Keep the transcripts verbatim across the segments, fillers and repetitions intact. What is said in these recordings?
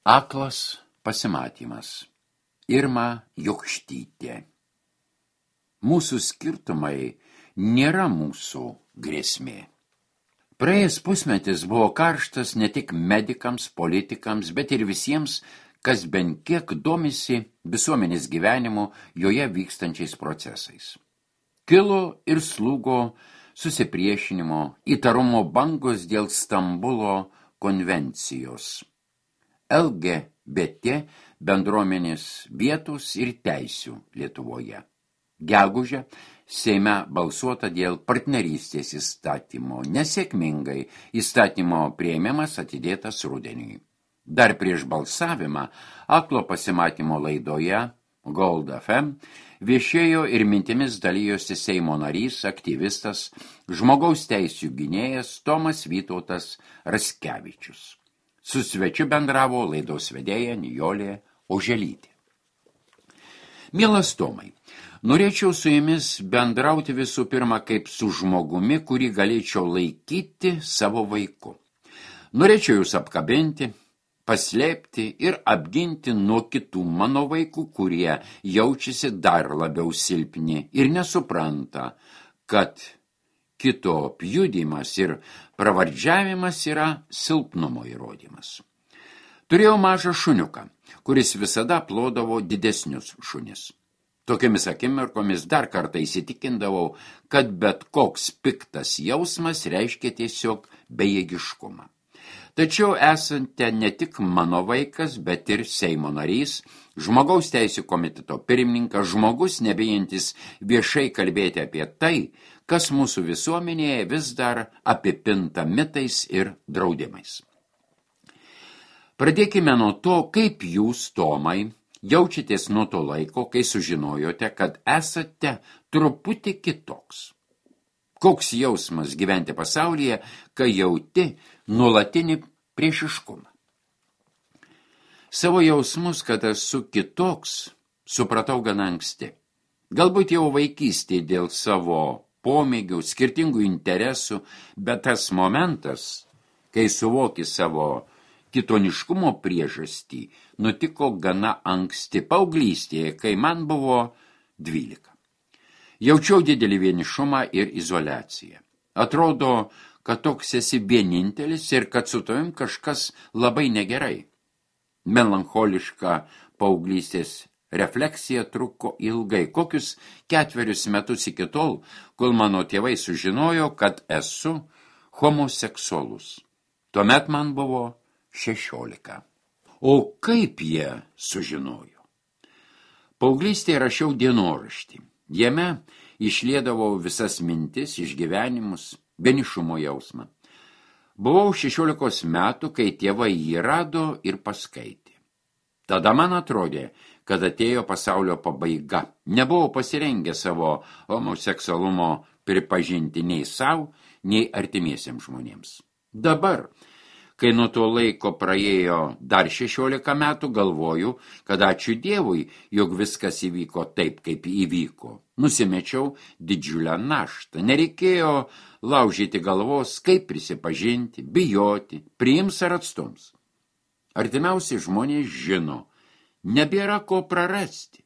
Aklas pasimatymas. Irma Jokštytė. Mūsų skirtumai nėra mūsų grėsmė. Praėjęs pusmetis buvo karštas ne tik medikams, politikams, bet ir visiems, kas bent kiek domisi visuomenės gyvenimu joje vykstančiais procesais. Kilo ir slūgo susipriešinimo, įtarumo bangos dėl Stambulo konvencijos. L G B T bendruomenės vietos ir teisių Lietuvoje. Gegužę Seime balsuota dėl partnerystės įstatymo. Nesėkmingai įstatymo priėmimas atidėtas rudeniui. Dar prieš balsavimą Aklo pasimatymo laidoje Gold F M viešėjo ir mintimis dalijosi Seimo narys, aktyvistas, žmogaus teisių gynėjas Tomas Vytautas Raskevičius. Su svečiu bendravo laidos vedėja Nijolė Oželytė. Mielas Tomai, norėčiau su jumis bendrauti visų pirma kaip su žmogumi, kurį galėčiau laikyti savo vaiku. Norėčiau jūs apkabinti, paslėpti ir apginti nuo kitų mano vaikų, kurie jaučiasi dar labiau silpni ir nesupranta, kad kito pjudymas ir pravardžiavimas yra silpnumo įrodymas. Turėjau mažą šuniuką, kuris visada plodavo didesnius šunis. Tokiamis akimirkomis dar kartą įsitikindavau, kad bet koks piktas jausmas reiškia tiesiog bejėgiškumą. Tačiau esate ne tik mano vaikas, bet ir Seimo narys, žmogaus teisių komiteto pirmininkas, žmogus nebijantis viešai kalbėti apie tai, kas mūsų visuomenėje vis dar apipinta mitais ir draudimais. Pradėkime nuo to, kaip jūs, Tomai, jaučiatės nuo to laiko, kai sužinojote, kad esate truputį kitoks. Koks jausmas gyventi pasaulyje, kai jauti nuolatinį priešiškumą? Savo jausmus, kad esu kitoks, supratau gana anksti. Galbūt jau vaikystėje dėl savo pomėgių, skirtingų interesų, bet tas momentas, kai suvoki savo kitoniškumo priežastį, nutiko gana anksti paauglystėje, kai man buvo dvylika. Jaučiau didelį vienišumą ir izoliaciją. Atrodo, kad toks esi vienintelis ir kad su tavim kažkas labai negerai. Melancholiška paauglystės refleksija truko ilgai, kokius ketverius metus iki tol, kol mano tėvai sužinojo, kad esu homoseksualus. Tuomet man buvo šešiolika. O kaip jie sužinojo? Paauglystėje rašiau dienoraštį. Jame išliedavau visas mintis, išgyvenimus, vienišumo jausmą. Buvau šešiolikos metų, kai tėvai jį rado ir paskaitė. Tada man atrodė, kad atėjo pasaulio pabaiga. Nebuvau pasirengę savo homoseksualumo pripažinti nei savo, nei artimiesiems žmonėms. Dabar, kai nuo to laiko praėjo dar šešiolika metų, galvoju, kad ačiū Dievui, jog viskas įvyko taip, kaip įvyko. Nusimečiau didžiulę naštą. Nereikėjo laužyti galvos, kaip prisipažinti, bijoti, priims ar atstums. Artimiausi žmonės žino, nebėra ko prarasti.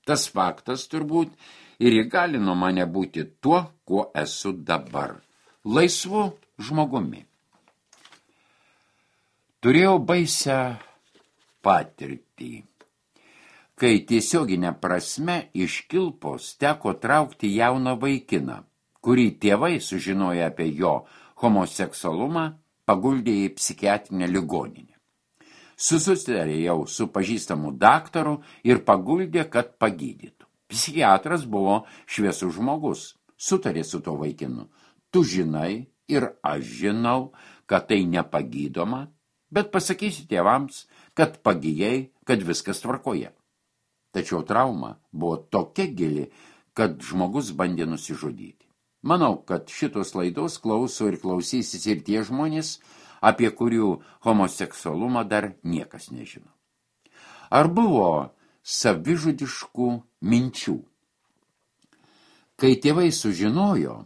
Tas faktas turbūt ir įgalino mane būti tuo, kuo esu dabar. Laisvu žmogumi. Turėjau baisią patirtį, kai tiesioginė prasme iš kilpos teko traukti jauną vaikiną, kurį tėvai sužinoję apie jo homoseksualumą paguldė į psichiatrinę ligoninę. Susitarė jau su pažįstamu daktaru ir paguldė, kad pagydytų. Psichiatras buvo šviesus žmogus, sutarė su to vaikinu. Tu žinai ir aš žinau, kad tai nepagydoma, bet pasakysi tėvams, kad pagijai, kad viskas tvarkoje. Tačiau trauma buvo tokia gili, kad žmogus bandė nusižudyti. Manau, kad šitos laidos klauso ir klausysis ir tie žmonės, apie kurių homoseksualumą dar niekas nežino. Ar buvo savižudiškų minčių? Kai tėvai sužinojo,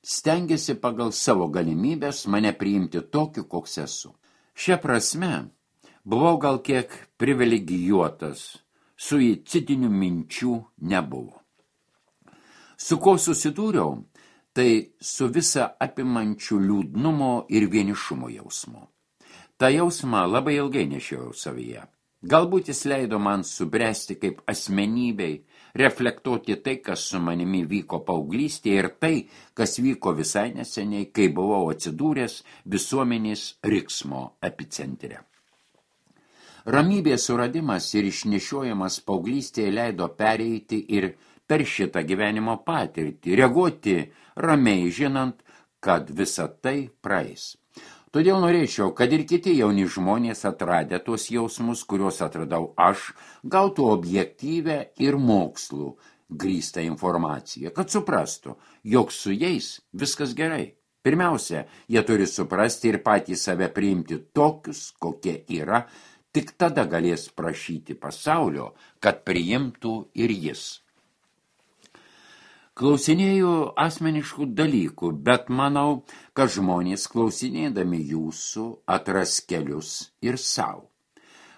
stengėsi pagal savo galimybės mane priimti tokiu, koks esu. Šia prasme, Buvau gal kiek privilegijuotas, suicidinių minčių nebuvo. Su ko susidūriau, tai su visa apimančiu liūdnumo ir vienišumo jausmu. Ta jausmą labai ilgai nešiojau savyje. Galbūt jis leido man subręsti kaip asmenybei, reflektuoti tai, kas su manimi vyko paauglystėje ir tai, kas vyko visai neseniai, kai buvau atsidūręs visuomenės riksmo epicentre. Ramybės suradimas ir išnešiojimas paauglystėje leido pereiti ir per šitą gyvenimo patirtį, reaguoti ramiai žinant, kad visa tai praeis. Todėl norėčiau, kad ir kiti jauni žmonės atradę tuos jausmus, kuriuos atradau aš, gautų objektyvę ir mokslų grįstą informaciją, kad suprastų, jog su jais viskas gerai. Pirmiausia, jie turi suprasti ir patys save priimti tokius, kokie yra, tik tada galės prašyti pasaulio, kad priimtų ir jis. Klausinėjau asmeniškų dalykų, bet manau, kad žmonės klausinėdami jūsų atras kelius ir savo.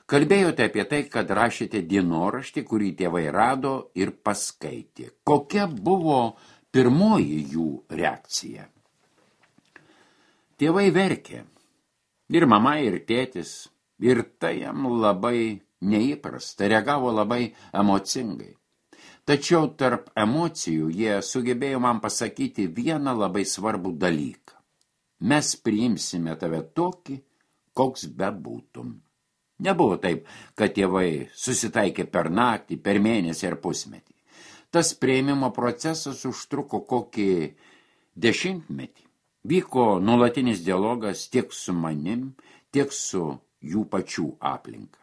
Kalbėjote apie tai, kad rašėte dienoraštį, kurį tėvai rado ir paskaitė. Kokia buvo pirmoji jų reakcija? Tėvai verkė. Ir mama, ir tėtis. Ir tai jam labai neįprasta, reagavo labai emocingai. Tačiau tarp emocijų jie sugebėjo man pasakyti vieną labai svarbų dalyką. Mes priimsime tave tokį, koks bebūtum. Nebuvo taip, kad tėvai susitaikė per naktį, per mėnesį ar pusmetį. Tas priėmimo procesas užtruko kokį dešimtmetį. Vyko nuolatinis dialogas tiek su manim, tiek su jų pačių aplinka.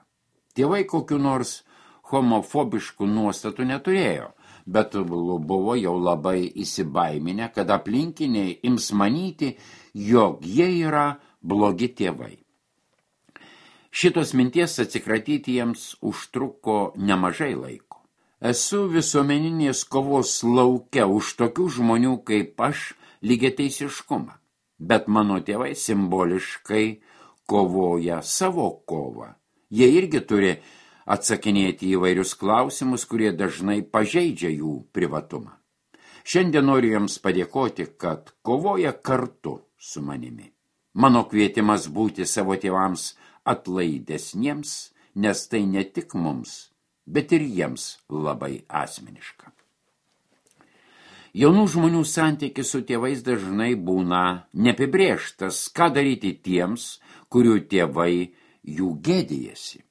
Tėvai kokiu nors homofobiškų nuostatų neturėjo, bet buvo jau labai įsibaiminę, kad aplinkiniai ims manyti, jog jie yra blogi tėvai. Šitos minties atsikratyti jiems užtruko nemažai laiko. Esu visuomeninės kovos lauke už tokių žmonių kaip aš lygiateisiškumą, bet mano tėvai simboliškai kovoja savo kovą. Jie irgi turi atsakinėti įvairius klausimus, kurie dažnai pažeidžia jų privatumą. Šiandien noriu jums padėkoti, kad kovoja kartu su manimi. Mano kvietimas būti savo tėvams atlaidesniems, nes tai ne tik mums, bet ir jiems labai asmeniška. Jaunų žmonių santykis su tėvais dažnai būna neapibrėžtas, ką daryti tiems, kurių tėvai jų gėdijasi.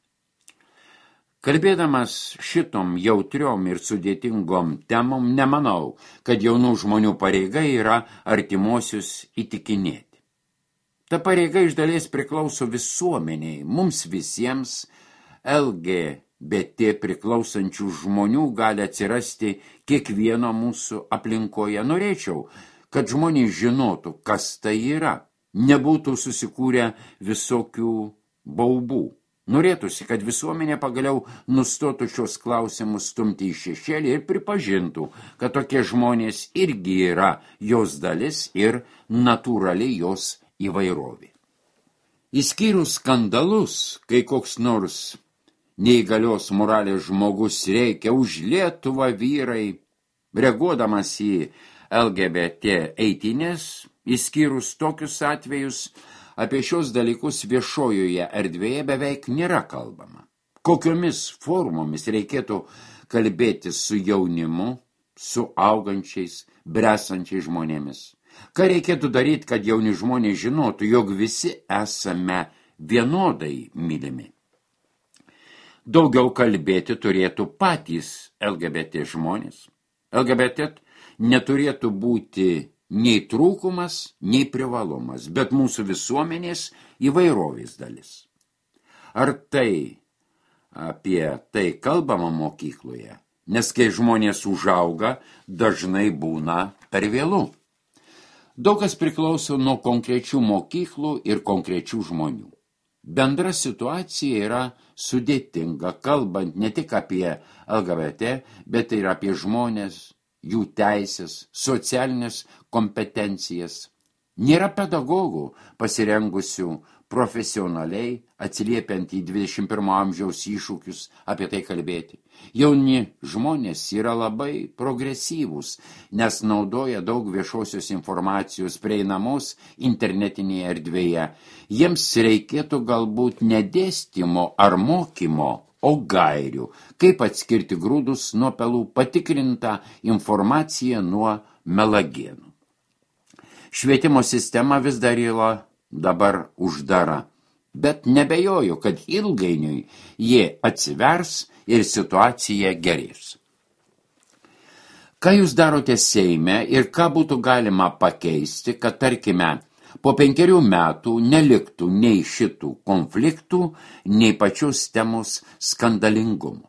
Kalbėdamas šitom jautriom ir sudėtingom temom, nemanau, kad jaunų žmonių pareiga yra artimuosius įtikinėti. Ta pareiga iš dalies priklauso visuomeniai, mums visiems L G B T priklausančių žmonių gali atsirasti kiekvieno mūsų aplinkoje. Norėčiau, kad žmonės žinotų, kas tai yra, nebūtų susikūrę visokių baubų. Norėtųsi, kad visuomenė pagaliau nustotų šios klausimus stumti į šešėlį ir pripažintų, kad tokie žmonės irgi yra jos dalis ir natūrali jos įvairovė. Įskyrus skandalus, kai koks nors neįgalios moralės žmogus reikia už Lietuvą vyrai, reaguodamas į L G B T eitynės, įskyrus tokius atvejus, apie šios dalykus viešojoje erdvėje beveik nėra kalbama. Kokiomis formomis reikėtų kalbėti su jaunimu, su augančiais, bresančiais žmonėmis? Ką reikėtų daryti, kad jauni žmonės žinotų, jog visi esame vienodai mylimi? Daugiau kalbėti turėtų patys L G B T žmonės. L G B T neturėtų būti nei trūkumas, nei privalumas, bet mūsų visuomenės įvairovės dalis. Ar tai apie tai kalbama mokykloje? Nes kai žmonės užauga, dažnai būna per vėlu. Daug kas priklauso nuo konkrečių mokyklų ir konkrečių žmonių. Bendra situacija yra sudėtinga, kalbant ne tik apie L G B T, bet ir apie žmonės, jų teisės, socialinės kompetencijas. Nėra pedagogų pasirengusių profesionaliai, atsiliepiant į dvidešimt pirmo amžiaus iššūkius, apie tai kalbėti. Jauni žmonės yra labai progresyvūs, nes naudoja daug viešosios informacijos prieinamos internetinėje erdvėje. Jiems reikėtų galbūt ne dėstymo ar mokymo, o gairių, kaip atskirti grūdus nuo pelų, patikrintą informaciją nuo melagienų. Švietimo sistema vis dar yra dabar uždara, bet nebejoju, kad ilgainiui jie atsivers ir situacija gerės. Ką jūs darote Seime ir ką būtų galima pakeisti, kad, tarkime, po penkerių metų neliktų nei šitų konfliktų, nei pačios temos skandalingumo?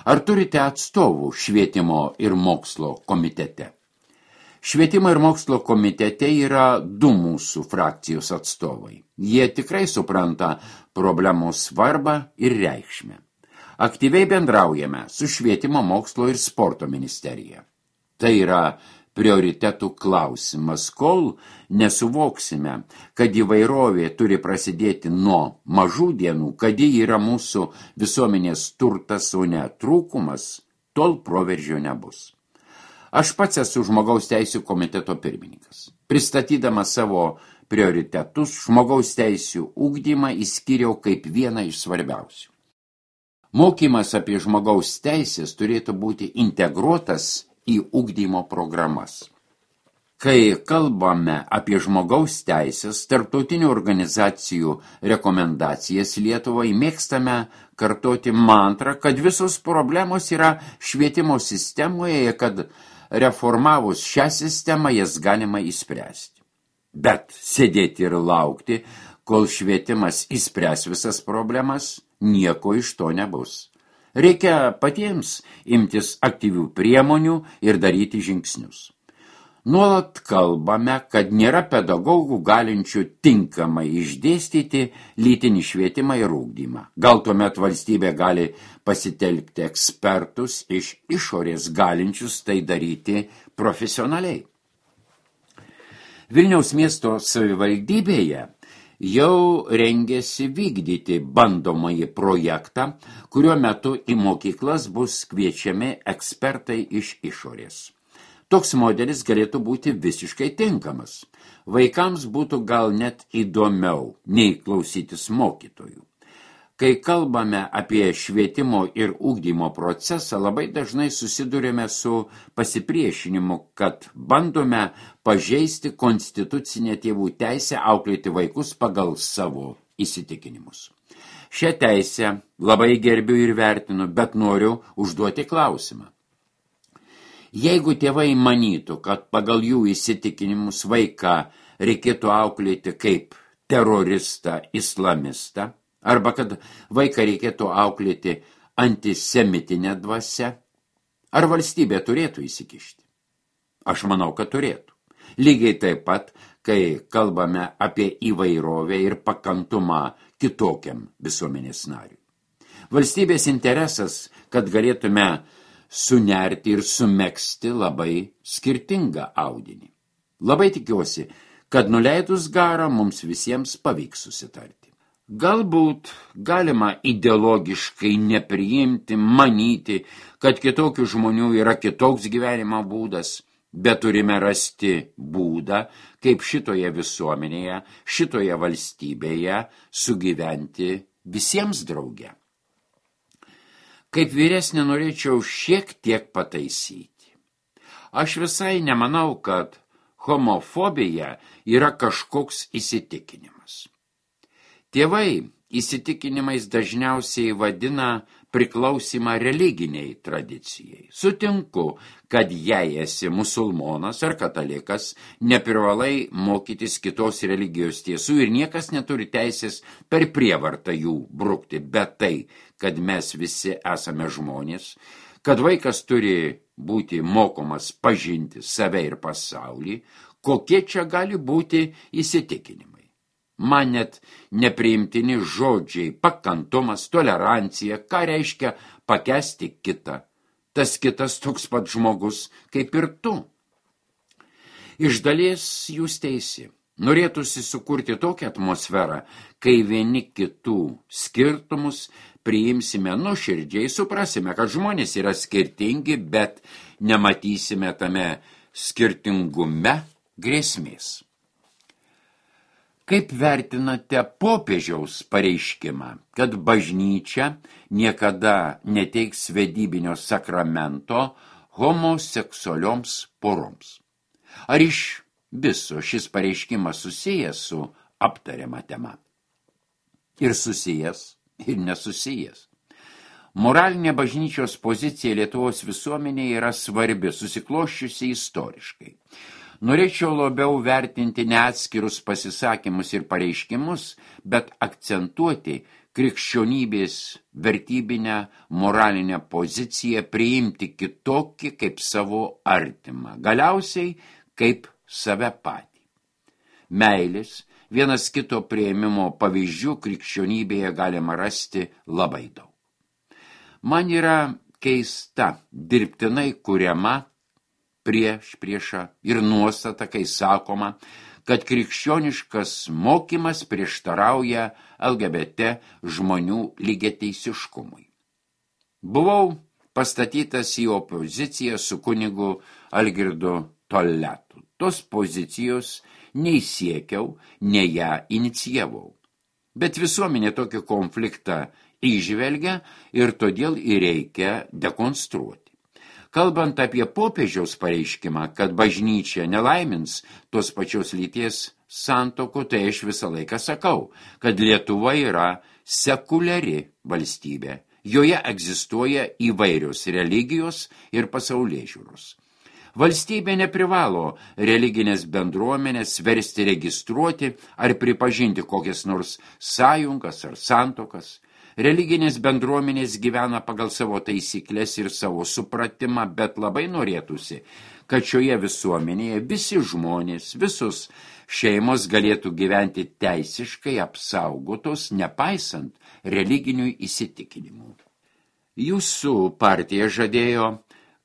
Ar turite atstovų švietimo ir mokslo komitete? Švietimo ir mokslo komitete yra du mūsų frakcijos atstovai. Jie tikrai supranta problemos svarbą ir reikšmę. Aktyviai bendraujame su Švietimo, mokslo ir sporto ministerija. Tai yra prioritetų klausimas, kol nesuvoksime, kad įvairovė turi prasidėti nuo mažų dienų, kad ji yra mūsų visuomenės turtas, o ne trūkumas, tol proveržio nebus. Aš pats esu žmogaus teisių komiteto pirmininkas. Pristatydamas savo prioritetus, žmogaus teisių ugdymą įskyriau kaip vieną iš svarbiausių. Mokymas apie žmogaus teisės turėtų būti integruotas į ugdymo programas. Kai kalbame apie žmogaus teisės, tarptautinių organizacijų rekomendacijas Lietuvai, mėgstame kartoti mantrą, kad visos problemos yra švietimo sistemoje, kad reformavus šią sistemą jas galima įspręsti. Bet sėdėti ir laukti, kol švietimas įspręs visas problemas, nieko iš to nebus. Reikia patiems imtis aktyvių priemonių ir daryti žingsnius. Nuolat kalbame, kad nėra pedagogų galinčių tinkamai išdėstyti lytinį švietimą ir ugdymą. Gal tuomet valstybė gali pasitelkti ekspertus iš išorės galinčius tai daryti profesionaliai. Vilniaus miesto savivaldybėje jau rengėsi vykdyti bandomąjį projektą, kuriuo metu į mokyklas bus kviečiami ekspertai iš išorės. Toks modelis galėtų būti visiškai tinkamas. Vaikams būtų gal net įdomiau nei klausytis mokytojų. Kai kalbame apie švietimo ir ugdymo procesą, labai dažnai susidurėme su pasipriešinimu, kad bandome pažeisti konstitucinę tėvų teisę auklėti vaikus pagal savo įsitikinimus. Šią teisę labai gerbiu ir vertinu, bet noriu užduoti klausimą. Jeigu tėvai manytų, kad pagal jų įsitikinimus vaiką reikėtų auklėti kaip teroristą, islamistą, arba kad vaiką reikėtų auklėti antisemitinę dvasią, ar valstybė turėtų įsikišti? Aš manau, kad turėtų. Lygiai taip pat, kai kalbame apie įvairovę ir pakantumą kitokiam visuomenės nariui. Valstybės interesas, kad galėtume sunerti ir sumegzti labai skirtingą audinį. Labai tikiuosi, kad nuleidus garą mums visiems pavyks susitarti. Galbūt galima ideologiškai nepriimti, manyti, kad kitokių žmonių yra kitoks gyvenimo būdas, bet turime rasti būdą, kaip šitoje visuomenėje, šitoje valstybėje sugyventi visiems drauge. Kaip vyresnė norėčiau šiek tiek pataisyti. Aš visai nemanau, kad homofobija yra kažkoks įsitikinimas. Tėvai įsitikinimais dažniausiai vadina priklausimą religiniai tradicijai. Sutinku, kad jei esi musulmonas ar katalikas, neprivalai mokytis kitos religijos tiesų ir niekas neturi teisės per prievartą jų brukti, bet tai, kad mes visi esame žmonės, kad vaikas turi būti mokomas pažinti save ir pasaulį, kokie čia gali būti įsitikinimai. Man net nepriimtini žodžiai, pakantumas, tolerancija, ką reiškia pakęsti kitą. Tas kitas toks pat žmogus kaip ir tu. Iš dalies jūs teisi. Norėtųsi sukurti tokią atmosferą, kai vieni kitų skirtumus priimsime nuoširdžiai, suprasime, kad žmonės yra skirtingi, bet nematysime tame skirtingume grėsmės. Kaip vertinate popiežiaus pareiškimą, kad bažnyčia niekada neteiks vedybinio sakramento homoseksualioms poroms? Ar iš viso šis pareiškimas susijęs su aptariama tema? Ir susijęs, ir nesusijęs. Moralinė bažnyčios pozicija Lietuvos visuomenėje yra svarbi, susikloščiusi istoriškai. Norėčiau labiau vertinti ne atskirus pasisakymus ir pareiškimus, bet akcentuoti krikščionybės vertybinę moralinę poziciją, priimti kitokį kaip savo artimą, galiausiai kaip save patį. Meilės, vienas kito priėmimo pavyzdžių krikščionybėje galima rasti labai daug. Man yra keista dirbtinai kuriama prieš priešą ir nuostata, kai sakoma, kad krikščioniškas mokymas prieštarauja L G B T žmonių lygiateisiškumui. Buvau pastatytas į opoziciją su kunigu Algirdu Tolletu. Tos pozicijos nei siekiau, nei ją inicijavau. Bet visuomenė tokį konfliktą įžvelgia ir todėl ir reikia dekonstruoti. Kalbant apie popiežiaus pareiškimą, kad bažnyčia nelaimins tos pačios lyties santokų, tai aš visą laiką sakau, kad Lietuva yra sekuliari valstybė. Joje egzistuoja įvairios religijos ir pasaulėžiūros. Valstybė neprivalo religinės bendruomenės versti registruoti ar pripažinti kokias nors sąjungas ar santokas. Religinės bendruomenės gyvena pagal savo taisyklės ir savo supratimą, bet labai norėtųsi, kad šioje visuomenėje visi žmonės, visos šeimos galėtų gyventi teisiškai apsaugotos, nepaisant religinių įsitikinimų. Jūsų partija žadėjo,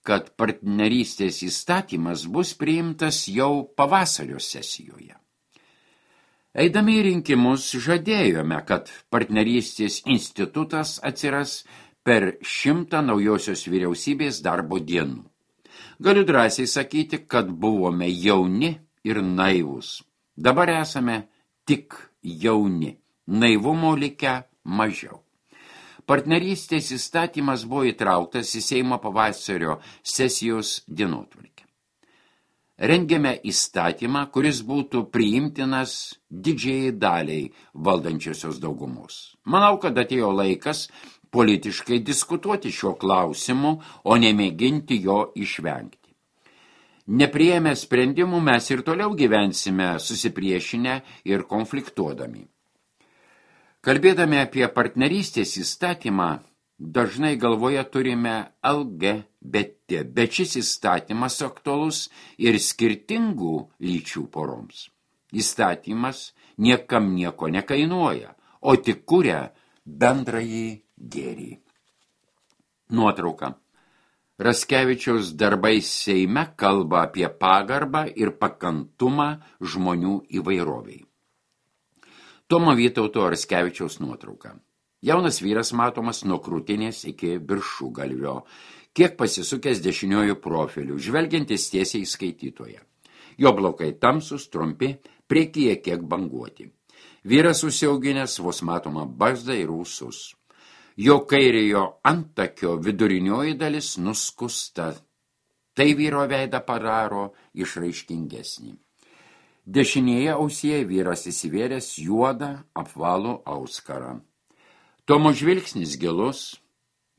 kad partnerystės įstatymas bus priimtas jau pavasario sesijoje. Eidami į rinkimus žadėjome, kad partnerystės institutas atsiras per šimtą naujosios vyriausybės darbo dienų. Galiu drąsiai sakyti, kad buvome jauni ir naivūs. Dabar esame tik jauni, naivumo likę mažiau. Partnerystės įstatymas buvo įtrauktas į Seimo pavasario sesijos dienotvarkę. Rengiame įstatymą, kuris būtų priimtinas didžiai daliai valdančiosios daugumos. Manau, kad atėjo laikas politiškai diskutuoti šio klausimu, o nemėginti jo išvengti. Nepriėmę sprendimų mes ir toliau gyvensime susipriešinę ir konfliktuodami. Kalbėdami apie partnerystės įstatymą, dažnai galvoje turime L G B T, bet šis įstatymas aktualus ir skirtingų lyčių poroms. Įstatymas niekam nieko nekainuoja, o tik kuria bendrąjį gėrį. Nuotrauka. Raskevičiaus darbai Seime kalba apie pagarbą ir pakantumą žmonių įvairoviai. Tomo Vytauto Raskevičiaus nuotrauka. Jaunas vyras matomas nuo krūtinės iki viršugalvio, kiek pasisukęs dešiniojų profilių, žvelgiantis tiesiai į skaitytoją. Jo plaukai tamsus, trumpi, priekyje kiek banguoti. Vyras užsiauginęs vos matoma barzdą ir ūsus. Jo kairiojo antakio vidurinioji dalis nuskusta. Tai vyro veidą padaro išraiškingesnį. Dešinėje ausyje vyras įsivėręs juodą apvalų auskarą. Tomo žvilgsnis gilus,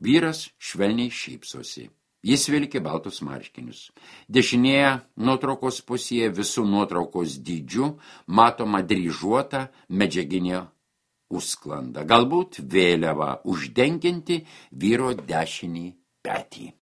vyras švelniai šypsosi. Jis vilki baltus marškinius. Dešinėje nuotraukos pusėje visų nuotraukos dydžių matoma dryžuota medžiaginė užsklanda. Galbūt vėliava uždengianti vyro dešinį petį.